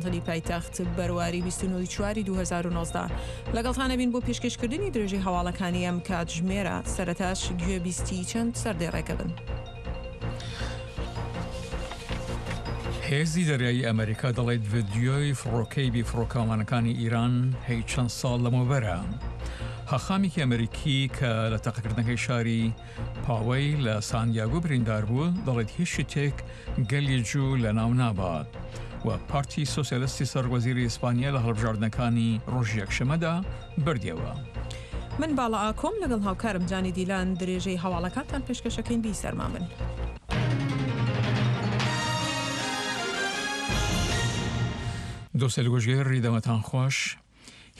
واشنتنی پایتەخت بەرواری 29 چواری 2019 لەگەڵتان ئەبین بۆ پێشکەشکردنی درێژەی هەواڵەکانی ئەم کاتژمێرە سەرەتاش گوێبیستی چەند سەردێڕێکە بن. هێزی دەریایی ئەمریکا دەڵێت ڤیدیۆی فڕۆکەی بیفڕۆکەوانەکانی ئیران هەی چەند ساڵ لەمەوبەرە. هەخامێکی ئەمریکی کە لە تەقەکردنەکەی شاری پاوەی لە ساندیاگۆ بریندار بوو، دەڵێت هیچ شتێک گەلی جوو لەناو نابات و پارتی سۆسیالستی سەرۆکوەزیری ئیسپانیا لە هەڵبژاردنەکانی ڕۆژی یەکشەممەدا بردیەوە. من باڵا ئاکۆم لەگەڵ هاوکارم جانی دیلان درێژەی هەواڵەکانتان پێشکەشەکەین بیسەرمان بن. دۆستەیل گوشگێر دەمتان خوەش.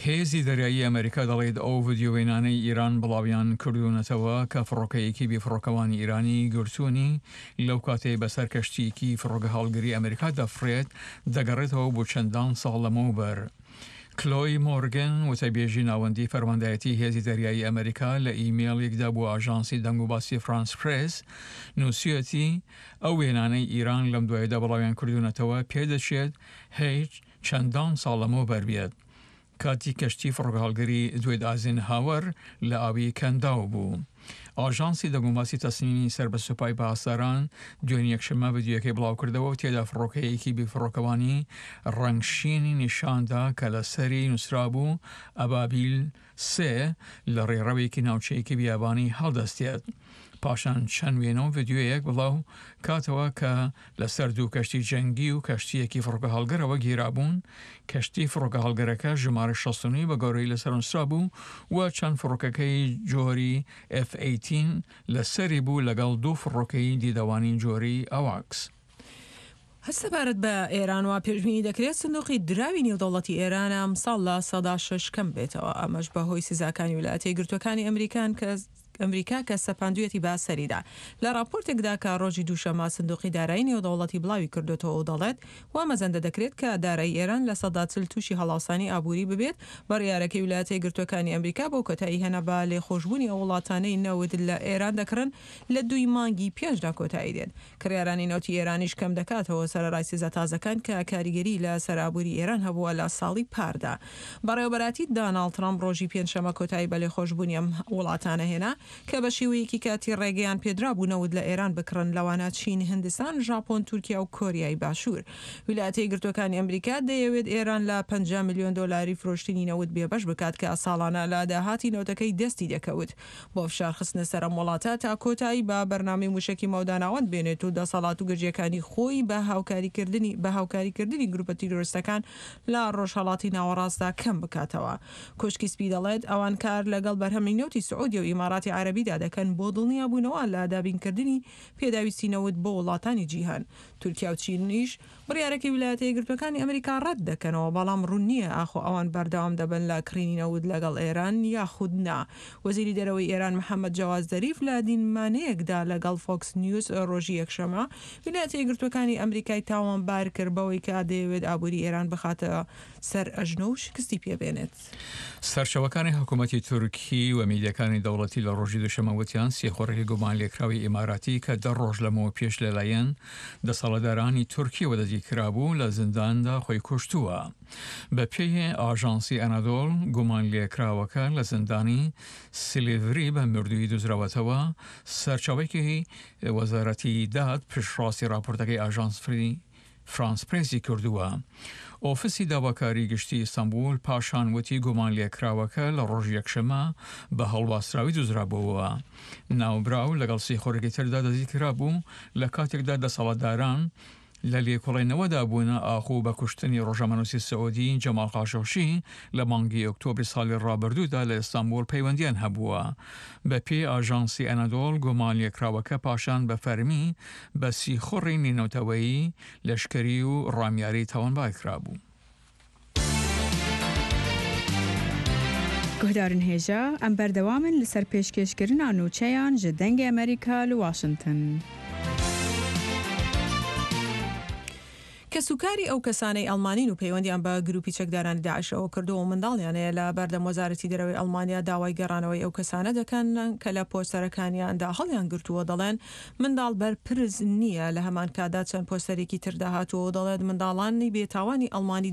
هێزی دەریایی ئەمەریکا دەڵێت ئەو ڤیدیۆ وێنانەی ئیران بڵاویان کردوونەتەوە کە فڕۆکەیەکی بێفڕۆکەوانی ئیرانی گرتوونی لەو کاتەی بەسەر کەشتییەکی فڕۆکەهەڵگری ئەمەریکا دەفڕێت دەگەڕێتەوە بۆ چەندان ساڵ لەمەوبەر. کلۆی مۆرگن وتەبێژی ناوەندی فەرماندایەتی هێزی دەریایی ئەمەریکا لە ئیمێڵیکدا بۆ ئاژانسی دەنگوباسی فرانس پرێس نووسیویەتی ئەو وێنانەی ئیران لەم دوایەدا بڵاویان کردوونەتەوە پێدەچێت هیچ چەندان ساڵ لەمەوبەر بێت، کاتی کەشتی فڕۆکەهەڵگری دوێد ئایزنهاوەر لە ئاوی کەنداو بوو. ئاژانسی دەنگوباسی تەسنیمی سەر بە سوپای پاسداران دوێنێ یەکشەممە ڤیدیۆیەکەی بڵاوکردەوە و تێدا فڕۆکەیەکی بیفڕۆکەوانی ڕەنگ شینی نیشاندا کە لەسەری نووسرابوو ئەبابیل سێ لە ڕێڕەوێکی ناوچەیەکی بیابانی هەڵدەستێت. پاشان چەند وێنە و ڤیدیۆیەک بڵاو کاتەوە کە لەسەر دوو کەشتی جەنگی و کەشتییەکی فڕۆکەهەڵگرەوە گیرابوون، کەشتی فڕۆکەهەڵگرەکە ژمارە 69 بە گەورەی لەسەر نووسرابوو و چەند فڕۆکەکەی جۆری ئێف ئەیتین لەسەری بوو لەگەڵ دوو فڕۆکەی دیدەوانی جۆری ئەواکس. هەر سەبارەت بە ئێران وا پێشبینی دەکرێت سندوقی دراوی نێودەوڵەتی ئێران ئەمساڵ 6% کەم بێتەوە، ئەمەش بەهۆی سزاکانی ویلایەتە یەکگرتووەکانی ئەمریکان کە ئەمریکا کە سەپاندوویەتی بە سەریدا. لە ڕاپۆرتێکدا کە ڕۆژی دووشەممە سندوقی دارایی نێودەوڵەتی بڵاوی کردۆتەوە و دەڵێت، وا مەزەندە دەکرێت کە دارایی ئێران 40% تووشی هەڵاوسانی ئابووری ببێت، بڕیارەکەی ویلایەتە یەکگرتووەکانی ئەمریکا بۆ کۆتایی هێنا بە لێخۆشبوونی ئەو وڵاتانەی نەوت لە ئێران دەکڕن لە دووی مانگی پێنجدا کۆتایی دێت. کڕیارانی نەوتی ئێرانیش کەم دەکاتەوە، سەرەڕای سزا تازەکان کە کاریگەری لە سەر ئابووری ئێران هەبووە لە ساڵی پاردا. بەڕێوەبەراتیی داناڵد ترەمپ ڕۆژی پێنجشەممە کۆتایی بە لێخۆشبوونی ئەم وڵاتانە هێنا کە بە شێوەیەکی کاتی ڕێگەیان پێدرابوو نەوت لە ئێران بکڕن، لەوانە چین، هندستان، ژاپۆن، تورکیا و کۆریای باشوور. ویلایەتە یەکگرتووەکانی ئەمریکا دەیەوێت ئێران لە 50 ملیۆن دۆلاری فرۆشتنی نەوت بێبەش بکات کە ساڵانە لە داهاتی نەوتەکەی دەستی دەکەوت. بۆ فشار خستنە سەر ئەم وڵاتە تا کۆتایی بە بەرنامەی موشەکی مەودا ناوەند بێنێت و دەسەڵات و گرژیەکانی خۆی بە هاوکاریکردنی بە هاوکاریکردنی گروپە تیرۆرستەکان لە ڕۆژهەڵاتی ناوەڕاستدا کەم بکاتەوە. کۆشکی سپی دەڵێت ئەوان کار لەگەڵ بەرهەمی نەوتی سعودیە و ئیماراتی عەرەبیدا دەکەن بۆ دڵنیابوونەوە لە دابینکردنی پێداویستی نەوت بۆ وڵاتانی جیهان. تورکیا و چینیش بڕیارەکەی ویلایەتە یەکگرتووەکانی ئەمریکا ڕەت دەکەنەوە، بەڵام ڕوون نییە ئاخۆ ئەوان بەردەوام دەبن لە کڕینی نەوت لەگەڵ ئێران یاخود نا. وەزیری دەرەوەی ئێران محەمەد جەواد زەریف لە دیمانەیەکدا لەگەڵ فۆکس نیوز ڕۆژی یەکشەممە ویلایەتە یەکگرتووەکانی ئەمریکای تاوانبار کرد بەوەی کە دەیەوێت ئابووری ئێران بخاتە سەر ئەژنۆ و شکستی پێ بێنێت. سەرچاوەکانی حکوومەتی تورکی و میدیاکانی دەوڵەتی لە ڕۆژی دووشەممە وتیان سیخوڕێکی گومانلێکراوی ئیماراتی کە دە ڕۆژ لەمەوپێش لەلایەن دەسەڵاتدارانی تورکیەوە دەستگیرکرابوو لە زینداندا خۆی کوشتووە. بەپێی ئاژانسی ئەنادۆڵ گومانلێکراوەکە لە زیندانی سیلیڤری بە مردوویی دۆزراوەتەوە، سەرچاوەیەکی وەزارەتی داد پشتڕاستی ڕاپۆرتەکەی ئاژانسی فرانس پرێسی کردووە. ئۆفیسی داواکاری گشتی ئیستانبول پاشان وتی گومانلێکراوەکە لە ڕۆژی یەکشەممە بە هەڵواسراوی دۆزرابووەوە. ناوبراو لەگەڵ سیخوڕێکی تردا دەستگیرکرابوو لە کاتێکدا دەسەڵاتداران لە لێکۆڵینەوەدا بوون ئاخۆ بە کوشتنی ڕۆژنامەنووسی سعودی جەمال خاشقچی لە مانگی ئۆکتۆبری ساڵی ڕابردوودا لە ئیستانبوڵ پەیوەندیان هەبووە. بەپێی ئاژانسی ئەنەدۆڵ گومانلێکراوەکە پاشان بە فەرمی بە سیخوڕی نێونەتەوەیی، لەشکری و ڕامیاری تاوانبار کرابوو. Guhdarên hêja, em berdewam in li ser pêşkêşkirina nûçeyan ji Dengê Amerîka li Washington. کەسوکاری ئەو کەسانەی ئەڵمانین و پەیوەندیان بە گروپی چەکدارانی داعشەوە کردووە و منداڵیان هەیە لە بەردەم وەزارەتی دەرەوەی ئەڵمانیا داوای گەڕانەوەی ئەو کەسانە دەکەن کە لە پۆستەرەکانیاندا هەڵیانگرتووە دەڵێن منداڵ بەرپرس نییە لە هەمان کاتدا چەند پۆستەرێکی تردا هاتووە و دەڵێت منداڵانی بێتاوانی ئەڵمانی.